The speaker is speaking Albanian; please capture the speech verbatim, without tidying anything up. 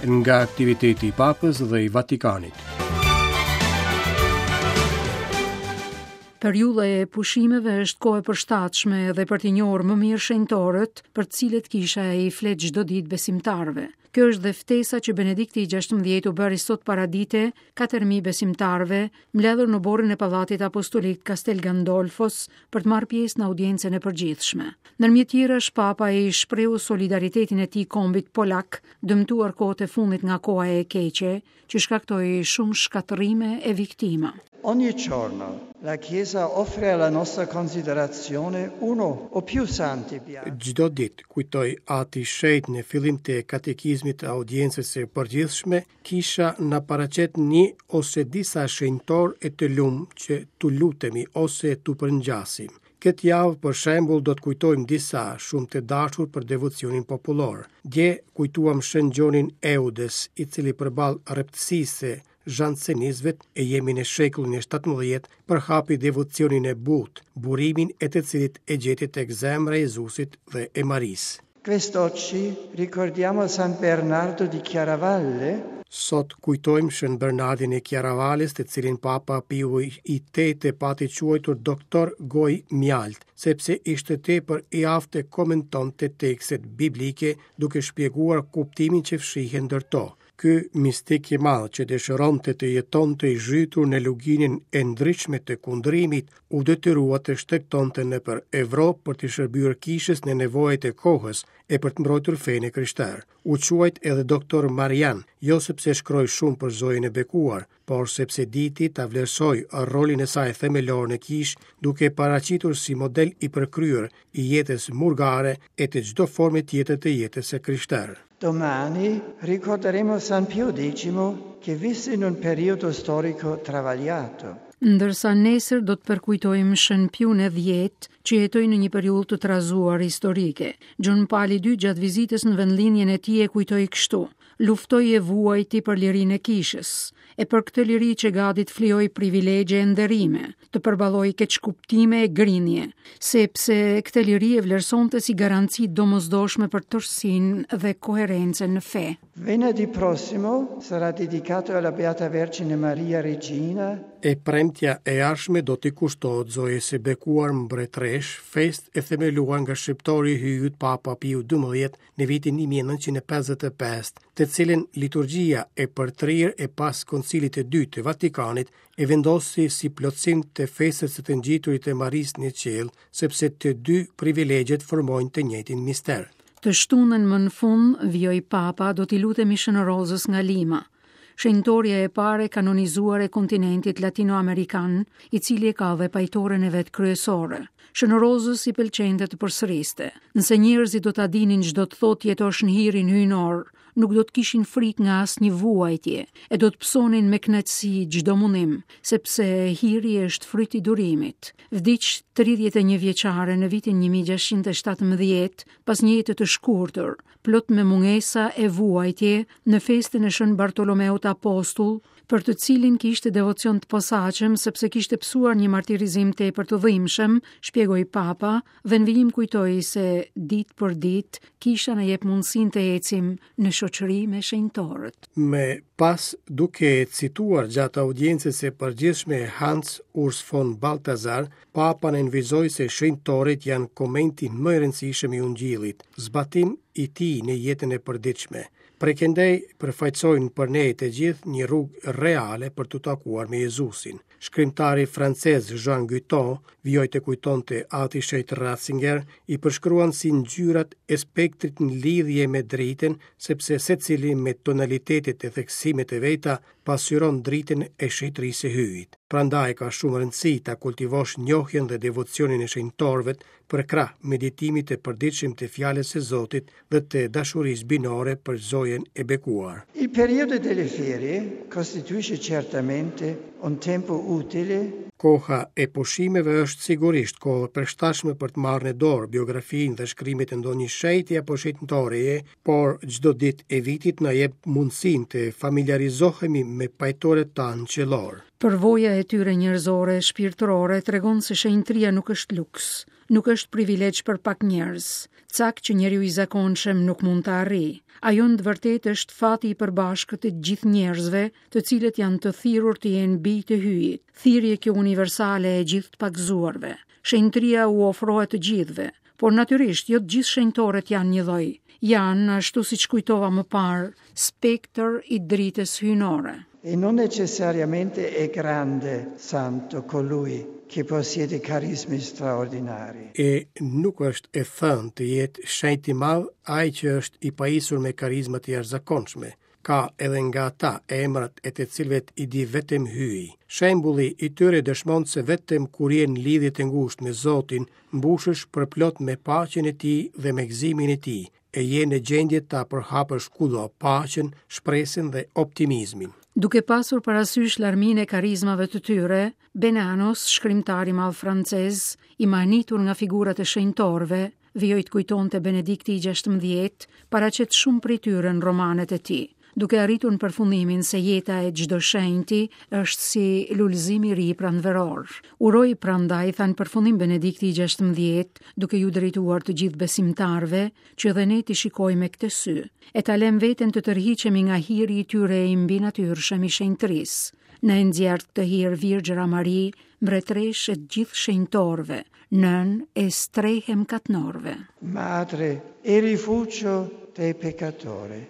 Nga aktiviteti i Papës dhe i Vatikanit. Periudha e pushimeve është kohë e përshtatshme edhe për t'i njohur më mirë shenjtorët, për të cilët kisha i flet çdo ditë besimtarëve. Kjo është dhe ftesa që Benedikti i gjashtëmbëdhjetë u bëri sot paradite katër mijë besimtarëve, mbledhur në oborrin e Pallatit Apostolik Castel Gandolfos për të marrë pjesë në audiencën e përgjithshme. Ndërmjet tjerash, Papa i shprehu solidaritetin e tij kombit polak, dëmtuar kohët e fundit nga koha e keqe, që shkaktoi shumë shkatërrime e viktima. Ogni giorno la Chiesa offre alla nostra considerazione uno o più santi beati. Çdo ditë, kujtoi Ati Shenjt në fillim të katekizmit të audiencës së përgjithshme, kisha na paraqet një ose disa shenjtor e të lumë që t'u lutemi ose t'u përngjasim. Këtë javë, për shembull, do të kujtojmë disa shumë të dashur për devocionin popullor. Dje kujtuam Shën Gjonin Eudes, i cili përballë rreptësisë së zhansenizëve e jemi në shekullin e shtatëmbëdhjetë, përhapi devocionin e butë, burimin e të cilit e gjeti tek zemra e Jezusit dhe e Marisë. Quest'oggi ricordiamo San Bernardo di Chiaravalle. Sot kujtojmë Shën Bernardin e Chiaravales, të cilin Papa Piu i Tetë pati quajtur doktor Goj Mjalt, sepse ishte tepër i aftë të komentonte tekstet biblike duke shpjeguar kuptimin që fshihen ndër to. Ky mistik i madh që dëshironte të jetonte i zhytur në luginën e ndryshme të kundrimit, u detyrua të shtegtonte nëpër Evropë për të shërbyer kishës në nevojat e kohës e për të mbrojtur fenë e krishterë. U quajt edhe doktor Marian, jo sepse shkroi shumë për Zojën e Bekuar, por sepse diti ta vlerësoj rolin e saj themelor në kishë, duke paraqitur si model i përkryer i jetës murgare e të çdo forme tjetër të jetës së krishterë. Domani ricorderemo San Pio decimo, che visse in un periodo storico travagliato. Ndërsa nesër do të përkujtojmë Shën Piun e dhjetë, që jetoi në një periudhë të trazuar historike. Gjon Pali i dytë gjatë vizitës në vendlindjen e tij e kujtoi kështu: luftoi e vuajti për lirinë e kishës, e për këtë liri që gati të flijoi privilegje e nderime, të përballoi keqkuptime e grinje, sepse këtë liri e vlerësonte si garanci domosdoshme për tërësinë dhe koherencën në fe. Venerdì prossimo sarà dedicato alla Beata Vergine Maria Regina. E premtja e ardhshme do t'i kushtohet Zojës së Bekuar Mbretëresh, fest e themeluar nga shqiptori i hyjit Papa Piu dymbëdhjetë në vitin një mijë e nëntëqind e pesëdhjetë e pesë, të cilën liturgjia e përtrirë e pas Koncilit të Dytë të Vatikanit e vendosi si plotësim të festës së të ngjiturit e Marisë në qiell, sepse të dy privilegjet formojnë të njëjtin mister. Të shtunën më në fund, vijoi Papa, do t'i lutemi Shën Rozës nga Lima, shenjtoria e parë e kanonizuar e kontinentit latinoamerikan, i cili e ka dhe pajtoren e vet kryesore. Shën Rozës i pëlqente të përsëriste: nëse njerëzit do ta dinin ç'do të thotë jetosh në hirin hyjnor, nuk do të kishin frikë nga asnjë vuajtje, e do të pësonin me kënaqësi çdo mundim, sepse hiri është fryt i durimit. Vdiq tridhjetë e një vjeçare në vitin një mijë gjashtëqind e shtatëmbëdhjetë, pas një jete të shkurtër, plot me mungesa e vuajtje, në festën e Shën Bartolomeut Apostull, për të cilin kishte devocion të posaçëm sepse kishte pësuar një martirizim tepër të dhimbshëm, shpjegoi Papa, dhe në vijim kujtoi se ditë për ditë kisha na jep mundësinë të ecim në shoqëri me shenjtorët. Me pas, duke cituar gjatë audiencës së përgjithshme Hans Urs von Balthasar, Papa nënvizoi se shenjtorët janë komenti më i rëndësishëm i Ungjillit, zbatim i tij në jetën e përditshme. Prekendej përfaqësojnë për ne të gjithë një rrugë reale për t'u takuar me Jezusin. Shkrimtari francez Jean Guitton vijoi të kujtonte Ati Shenjt Ratzinger, i përshkruan si ngjyrat e spektrit në lidhje me dritën, sepse secili me tonalitetet e theksimet e veta pasyron dritën e shenjtërisë së hyjit. Prandaj ka shumë rëndësi ta kultivosh njohjen dhe devocionin e shenjtorëve për krah meditimit të përditshëm të fjalës së Zotit dhe të dashurisë binore për Zojën e Bekuar. Il periodo delle ferie costituisce certamente un tempo utile. Koha e pushimeve është sigurisht kohë e përshtatshme për të marrë në dorë biografinë dhe shkrimet e ndonjë shenjti apo shenjtoreje, por çdo ditë e vitit na jep mundësinë të familiarizohemi me pajtorët tanë qiellor. Përvoja e tyre njerëzore e shpirtërore tregon se shenjtëria nuk është luks, Nuk është privilegj për pak njerëz, cak që njeriu i zakonshëm nuk mund ta arrijë. Ajo në të vërtetë është fati i përbashkët i të gjithë njerëzve, të cilët janë të thirrur të jenë bij të Hyjit, thirrje kjo universale e gjithë të pagëzuarve. Shenjtëria u ofrohet të gjithëve, por natyrisht jo të gjithë shenjtorët janë njëlloj. Janë, ashtu siç kujtova më parë, spektër i dritës hyjnore. E non necessariamente è grande santo colui che possiede carismi straordinari. E nuk është e thënë të jetë shenjt i madh ai që është i pajisur me karizma të jashtëzakonshme. Ka edhe nga ata emrat e të cilëve i di vetëm Hyji. Shembulli i tyre dëshmon se vetëm kur je në lidhje të ngushtë me Zotin, mbushesh përplot me paqen e tij dhe me gëzimin e tij, e je në gjendje ta përhapësh kudo paqen, shpresën dhe optimizmin. Duke pasur parasysh larminë e karizmave të tyre, Bernanos, shkrimtar i madh francez, i mahnitur nga figurat e shenjtorëve, vijoi të kujtonte Benedikti i gjashtëmbëdhjetë, paraqet shumë prej tyre në romanet e tij, duke arritur në përfundimin se jeta e çdo shenjti është si lulëzim i ri pranveror. Uroj prandaj, tha në përfundim Benedikti i gjashtëmbëdhjetë, duke ju drejtuar të gjithë besimtarëve, që edhe ne t'i shikojmë me këtë sy, e ta lëmë veten të tërhiqemi nga hiri i tyre i mbinatyrshëm i shenjtërisë. Na e nxjerr këtë hir Virgjëra Mari, mbretëresh e të gjithë shenjtorëve, nën e strehë e mëkatnorëve. Madre e rifugio dei peccatori.